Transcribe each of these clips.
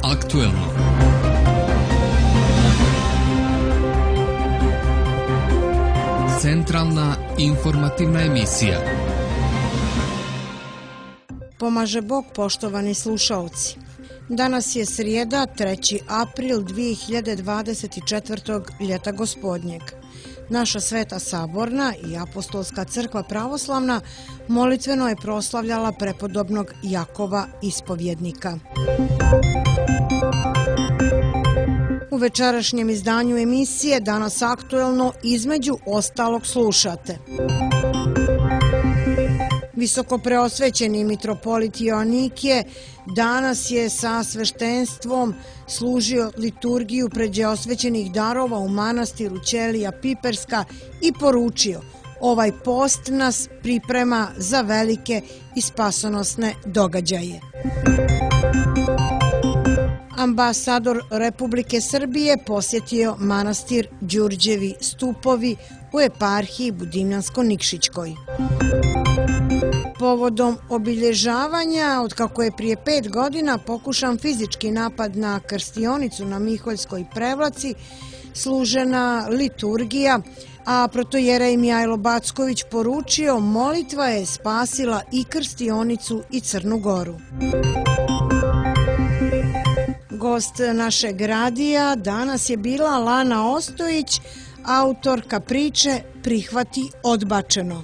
aktuelno. Centralna informativna emisija. Pomaže Bog, poštovani slušaoci. Danas je srijeda, 3. april 2024. ljeta gospodnjeg. Naša Sveta Saborna i Apostolska crkva pravoslavna molitveno je proslavljala prepodobnog Jakova ispovjednika. U večerašnjem izdanju emisije Danas aktuelno između ostalog slušate. Visokopreosvećeni mitropolit Joanikije danas je sa sveštenstvom služio liturgiju pređeosvećenih darova u manastiru Ćelija Piperska i poručio: ovaj post nas priprema za velike i spasonosne događaje. Ambasador Republike Srbije posjetio manastir Đurđevi stupovi u eparhiji Budimljansko-Nikšićkoj. Povodom obilježavanja, otkako je prije 5 godina pokušan fizički napad na krstionicu na Miholjskoj Prevlaci, služena liturgija, a protojerej Mijajlo Backović poručio: molitva je spasila i krstionicu i Crnu Goru. Gost našeg radija danas je bila Lana Ostojić, autorka priče Prihvati odbačeno.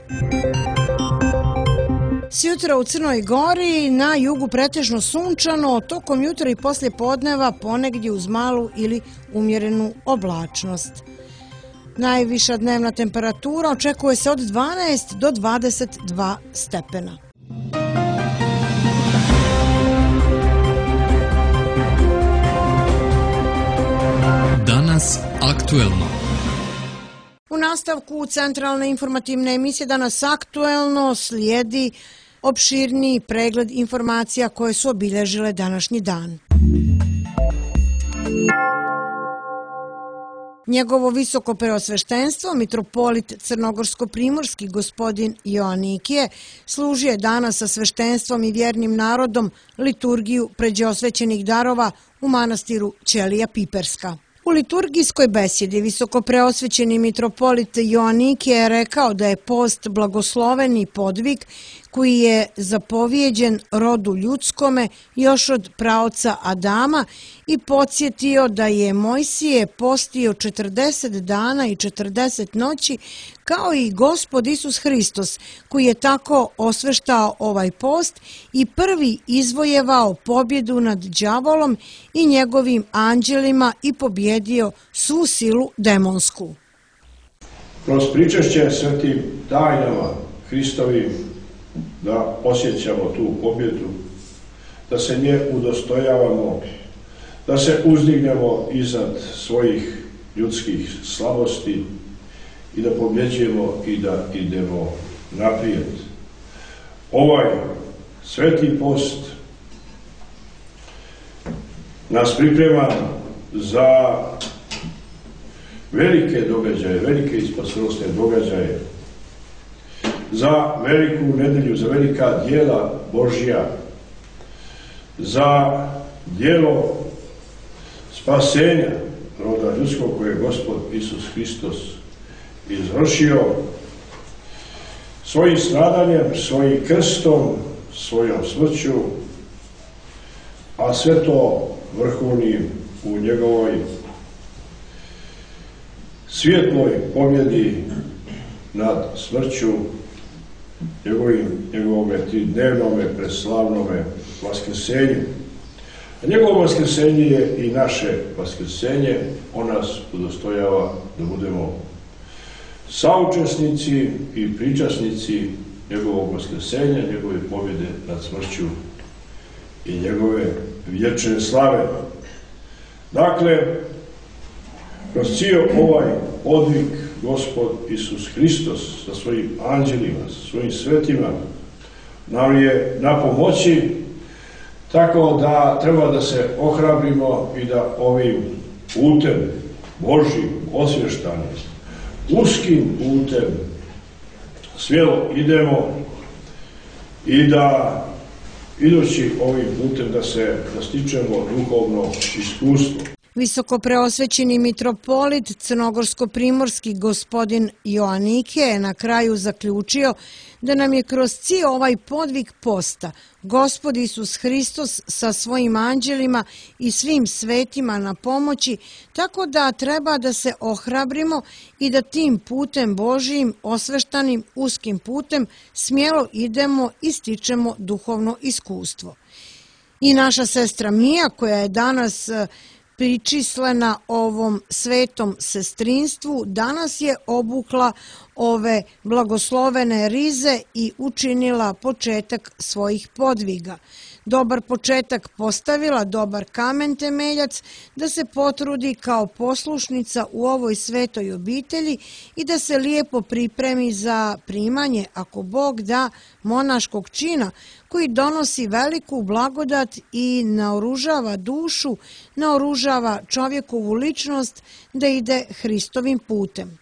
Sjutra u Crnoj Gori, na jugu pretežno sunčano, tokom jutra i poslije podneva ponegdje uz malu ili umjerenu oblačnost. Najviša dnevna temperatura očekuje se od 12 do 22 stepena. Danas aktuelno. U nastavku centralne informativne emisije Danas aktuelno slijedi opširniji pregled informacija koje su obilježile današnji dan. Njegovo visoko preosveštenstvo, mitropolit crnogorsko-primorski gospodin Joanikije, služio je danas sa sveštenstvom i vjernim narodom liturgiju pređeosvećenih darova u manastiru Ćelija Piperska. U liturgijskoj besjedi visokopreosvećeni mitropolit Joanikije je rekao da je post blagosloveni podvig koji je zapovjeđen rodu ljudskome još od praoca Adama i podsjetio da je Mojsije postio 40 dana i 40 noći kao i Gospod Isus Hristos, koji je tako osveštao ovaj post i prvi izvojevao pobjedu nad đavolom i njegovim anđelima i pobjedio svu silu demonsku. Kroz pričešće svetim tajnama Hristovim da osjećamo tu pobjedu, da se nje udostojavamo, da se uzdignemo iznad svojih ljudskih slabosti i da pobjeđujemo i da idemo naprijed. Ovaj sveti post nas priprema za velike događaje, velike i spasonosne događaje, za veliku nedelju, za velika djela Božja, za djelo spasenja roda ljudskog koje je Gospod Isus Hristos izvršio svojim stradanjem, svojim krstom, svojom smrću, a sve to vrhovnim u njegovoj svjetloj pobjedi nad smrću, njegovome tridnevnome preslavnome vaskrsenju. A njegovo vaskrsenje je i naše vaskrsenje. On nas udostojava da budemo saučesnici i pričasnici njegovog vaskrsenja, njegove pobjede nad smrću i njegove vječne slave. Dakle, kroz cijel ovaj podvig Gospod Isus Hristos sa svojim anđelima, sa svojim svetima nam je na pomoći, tako da treba da se ohrabrimo i da ovim putem Božjim, osvještanim, uskim putem smjelo idemo i da idući ovim putem da stičemo duhovno iskustvo. Visoko preosvećeni mitropolit crnogorsko-primorski gospodin Joanike je na kraju zaključio da nam je kroz cijel ovaj podvig posta Gospod Isus Hristos sa svojim anđelima i svim svetima na pomoći, tako da treba da se ohrabrimo i da tim putem Božijim, osveštanim uskim putem smjelo idemo i stičemo duhovno iskustvo. I naša sestra Mija, koja je danas pričislena ovom svetom sestrinstvu, danas je obukla ove blagoslovene rize i učinila početak svojih podviga. Dobar početak postavila, dobar kamen temeljac, da se potrudi kao poslušnica u ovoj svetoj obitelji i da se lijepo pripremi za primanje, ako Bog da, monaškog čina, koji donosi veliku blagodat i naoružava dušu, naoružava čovjekovu ličnost da ide Hristovim putem.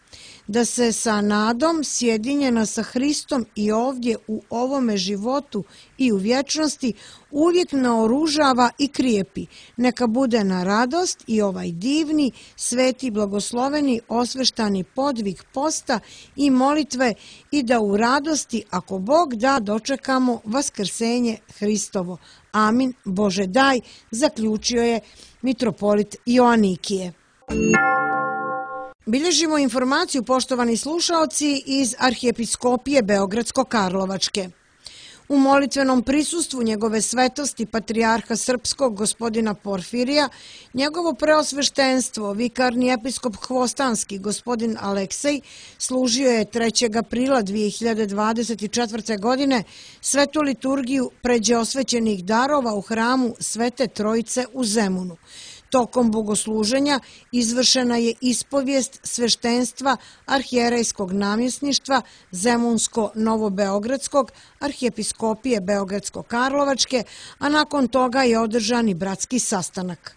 Da se sa nadom sjedinjena sa Hristom i ovdje u ovome životu i u vječnosti uvijek naoružava i krijepi. Neka bude na radost i ovaj divni, sveti, blagosloveni, osveštani podvig posta i molitve i da u radosti, ako Bog da, dočekamo vaskrsenje Hristovo. Amin. Bože daj, zaključio je mitropolit Joanikije. Bilježimo informaciju, poštovani slušaoci, iz Arhijepiskopije Beogradsko-Karlovačke. U molitvenom prisustvu njegove svetosti patrijarha srpskog gospodina Porfirija, njegovo preosveštenstvo, vikarni episkop Hvostanski gospodin Aleksej, služio je 3. aprila 2024. godine svetu liturgiju pređe osvećenih darova u hramu Svete Trojice u Zemunu. Tokom bogosluženja izvršena je ispovijest sveštenstva arhijerejskog namjesništva Zemunsko-Novobeogradskog, Arhijepiskopije Beogradsko-Karlovačke, a nakon toga je održan i bratski sastanak.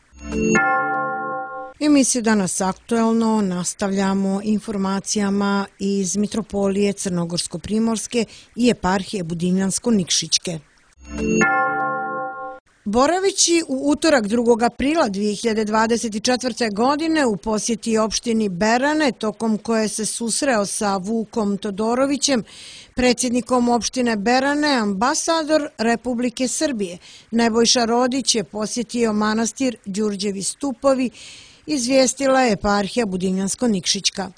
Emisiju Danas aktuelno nastavljamo informacijama iz Mitropolije Crnogorsko-Primorske i eparhije Budimljansko-Nikšićke. Boravići u utorak 2. aprila 2024. godine u posjeti opštini Berane, tokom koje se susreo sa Vukom Todorovićem, predsjednikom opštine Berane, ambasador Republike Srbije Nebojša Rodić je posjetio manastir Đurđevi stupovi, izvijestila je eparhija Budimljansko-Nikšićka.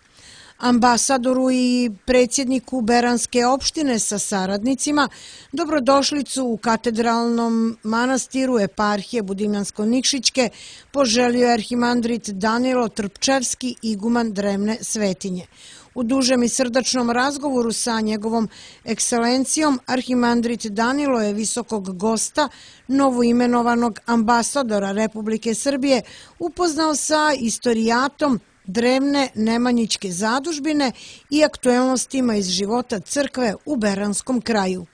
Ambasadoru i predsjedniku Beranske opštine sa saradnicima dobrodošlicu u katedralnom manastiru eparhije Budimljansko-Nikšićke poželio je arhimandrit Danilo Trpčevski, iguman Drevne Svetinje. U dužem i srdačnom razgovoru sa njegovom ekscelencijom, arhimandrit Danilo je visokog gosta, novoimenovanog ambasadora Republike Srbije, upoznao sa istorijatom Drevne Nemanjićke zadužbine i aktuelnostima iz života crkve u Beranskom kraju.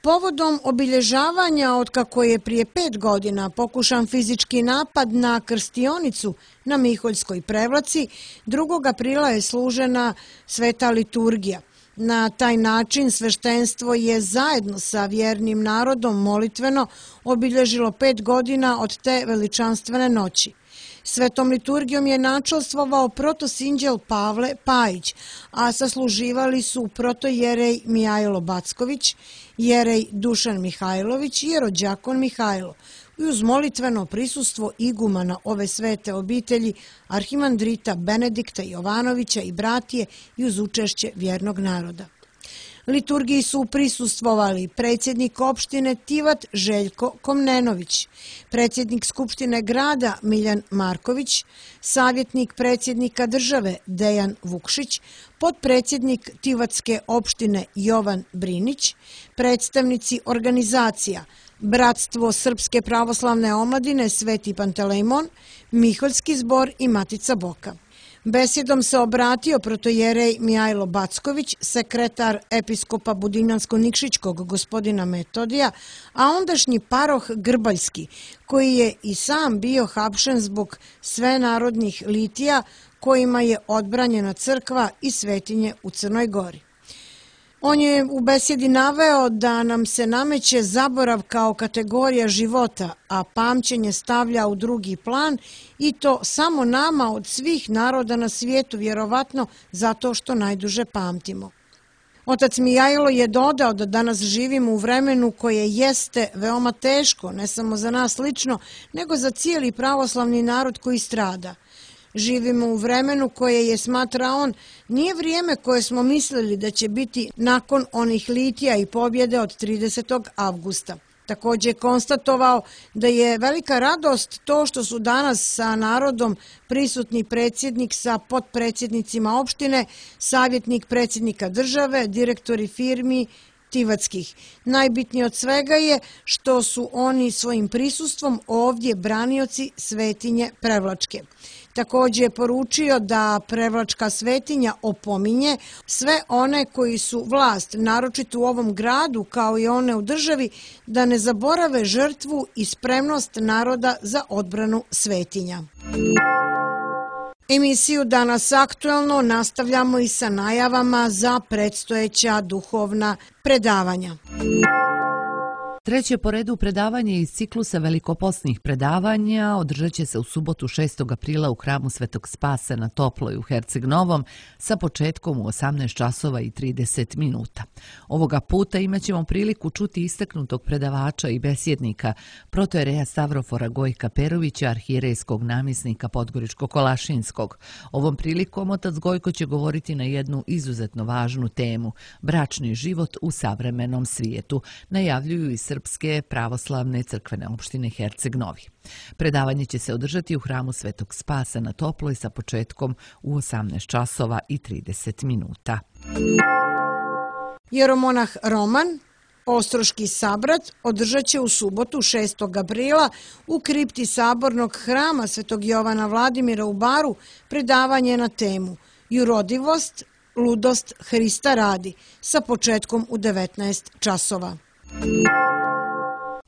Povodom obilježavanja otkako je prije 5 godina pokušan fizički napad na krstionicu na Miholjskoj prevlaci, 2. aprila je služena sveta liturgija. Na taj način sveštenstvo je zajedno sa vjernim narodom molitveno obilježilo 5 godina od te veličanstvene noći. Svetom liturgijom je načelstvovao protosinđel Pavle Pajić, a sasluživali su protojerej Mijajlo Backović, jerej Dušan Mihajlović i jerođakon Mihajlo. I uz molitveno prisustvo igumana ove svete obitelji, arhimandrita Benedikta Jovanovića i bratije i uz učešće vjernog naroda. Liturgiji su prisustvovali predsjednik opštine Tivat Željko Komnenović, predsjednik Skupštine grada Miljan Marković, savjetnik predsjednika države Dejan Vukšić, potpredsjednik Tivatske opštine Jovan Brinić, predstavnici organizacija Bratstvo Srpske pravoslavne omladine Sveti Pantelejmon, Miholjski zbor i Matica Boka. Besjedom se obratio protojerej Mijajlo Backović, sekretar episkopa Budimljansko-Nikšićkog gospodina Metodija, a ondašnji paroh Grbaljski, koji je i sam bio hapšen zbog svenarodnih litija kojima je odbranjena crkva i svetinje u Crnoj Gori. On je u besjedi naveo da nam se nameće zaborav kao kategorija života, a pamćenje stavlja u drugi plan i to samo nama od svih naroda na svijetu, vjerovatno zato što najduže pamtimo. Otac Mijajlo je dodao da danas živimo u vremenu koje jeste veoma teško, ne samo za nas lično, nego za cijeli pravoslavni narod koji strada. Živimo u vremenu koje je, smatra on, nije vrijeme koje smo mislili da će biti nakon onih litija i pobjede od 30. avgusta. Također je konstatovao da je velika radost to što su danas sa narodom prisutni predsjednik sa potpredsjednicima opštine, savjetnik predsjednika države, direktori firmi Tivatskih. Najbitnije od svega je što su oni svojim prisustvom ovdje branioci svetinje Prevlačke. Također je poručio da Prevlačka svetinja opominje sve one koji su vlast, naročito u ovom gradu kao i one u državi, da ne zaborave žrtvu i spremnost naroda za odbranu svetinja. Emisiju Danas aktuelno nastavljamo i sa najavama za predstojeća duhovna predavanja. Treće po redu predavanje iz ciklusa velikoposnih predavanja održat će se u subotu 6. aprila u hramu Svetog Spasa na Toploj u Herceg Novom sa početkom u 18 časova i 30 minuta. Ovoga puta imat ćemo priliku čuti istaknutog predavača i besjednika, protojereja Stavrofora Gojka Perovića, arhijerejskog namjesnika Podgoričko-Kolašinskog. Ovom prilikom otac Gojko će govoriti na jednu izuzetno važnu temu – bračni život u savremenom svijetu, najavljuju i Srpske pravoslavne crkvene opštine Herceg Novi. Predavanje će se održati u hramu Svetog Spasa na Toploj sa početkom u 18 časova i 30 minuta. Jeromonah Roman, Ostroški sabrat, održat će u subotu 6. aprila u kripti sabornog hrama Svetog Jovana Vladimira u Baru predavanje na temu Jurodivost, ludost Hrista radi sa početkom u 19 časova.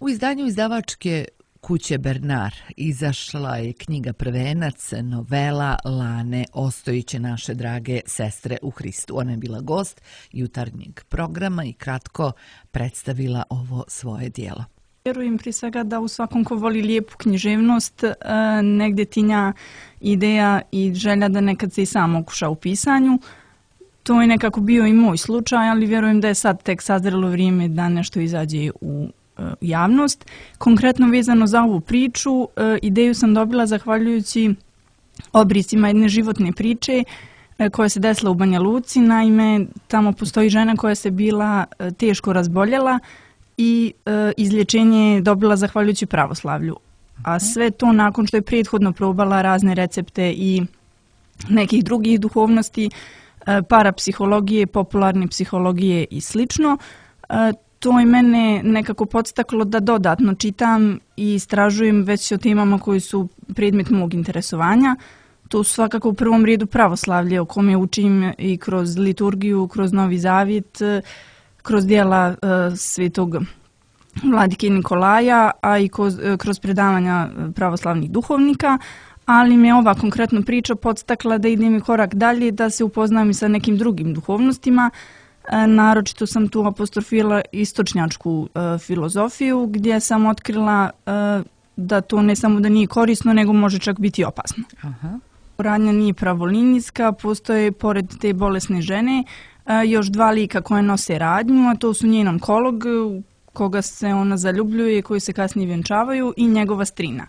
U izdanju izdavačke kuće Bernard izašla je knjiga Prvenac, novela Lane Ostojiće, naše drage sestre u Hristu. Ona je bila gost jutarnjeg programa i kratko predstavila ovo svoje dijelo. Vjerujem prije svega da u svakom ko voli lijepu književnost negdje tinja ideja i želja da nekad se i sam okuša u pisanju. To je nekako bio i moj slučaj, ali vjerujem da je sad tek sazrelo vrijeme da nešto izađe u javnost. Konkretno vezano za ovu priču, ideju sam dobila zahvaljujući obrisima jedne životne priče koja se desila u Banja Luci. Naime, tamo postoji žena koja se bila teško razboljela i izlječenje je dobila zahvaljujući pravoslavlju. A sve to nakon što je prethodno probala razne recepte i nekih drugih duhovnosti, parapsihologije, popularne psihologije i slično. To je mene nekako podstaklo da dodatno čitam i istražujem već o temama koji su predmet mog interesovanja. To su svakako u prvom redu pravoslavlje o kome učim i kroz liturgiju, kroz Novi Zavjet, kroz dijela svetog Vladike Nikolaja, a i kroz predavanja pravoslavnih duhovnika. Ali me ova konkretna priča podstakla da idem i korak dalje, da se upoznam i sa nekim drugim duhovnostima. Naročito sam tu apostrofirala istočnjačku filozofiju, gdje sam otkrila da to ne samo da nije korisno, nego može čak biti opasno. Radnja nije pravolinijska, postoje pored te bolesne žene još dva lika koje nose radnju, a to su njen onkolog, koga se ona zaljubljuje, koji se kasnije vjenčavaju, i njegova strina.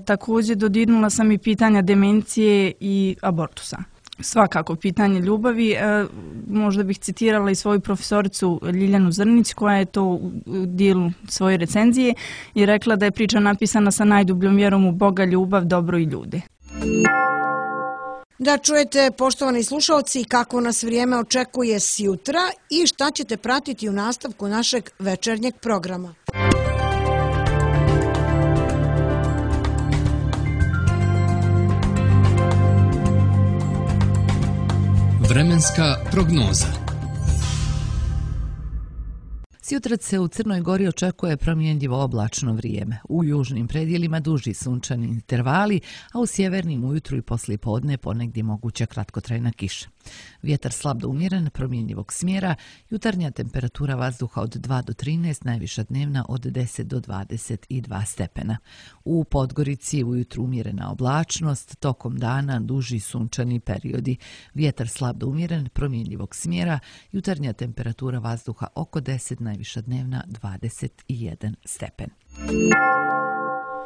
Također dodirnula sam i pitanja demencije i abortusa. Svakako pitanje ljubavi. Možda bih citirala i svoju profesoricu Ljiljanu Zrnić, koja je to u dijelu svoje recenzije i rekla da je priča napisana sa najdubljom vjerom u Boga, ljubav, dobro i ljude. Da čujete, poštovani slušalci, kako nas vrijeme očekuje sjutra i šta ćete pratiti u nastavku našeg večernjeg programa. Vremenska prognoza. Sjutrac se u Crnoj Gori očekuje promjenjivo oblačno vrijeme. U južnim predjelima duži sunčani intervali, a u sjevernim ujutru i poslijepodne ponegdje moguća kratkotrajna kiša. Vjetar slab do umjeren, promjenjivog smjera, jutarnja temperatura vazduha od 2 do 13, najviša dnevna od 10 do 22 stepena. U Podgorici ujutru umjerena oblačnost, tokom dana duži sunčani periodi. Vjetar slab do umjeren, promjenjivog smjera, jutarnja temperatura vazduha oko 10, najviša dnevna 21 stepen.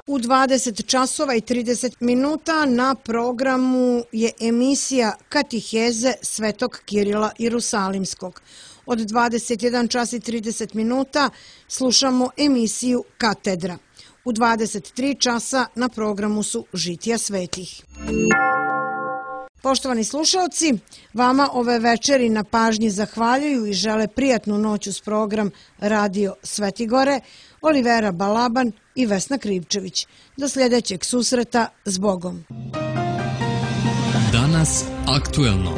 U 20 časova i 30 minuta na programu je emisija Katiheze Svetog Kirila Jerusalimskog. Od 21 čas i 30 minuta slušamo emisiju Katedra. U 23 časa na programu su Žitija svetih. Poštovani slušalci, vama ove večeri na pažnji zahvaljuju i žele prijatnu noć uz program Radio Svetigore, Olivera Balaban i Vesna Krivčević. Do sljedećeg susreta, s Bogom. Danas aktuelno.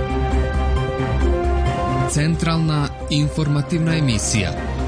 Centralna informativna emisija.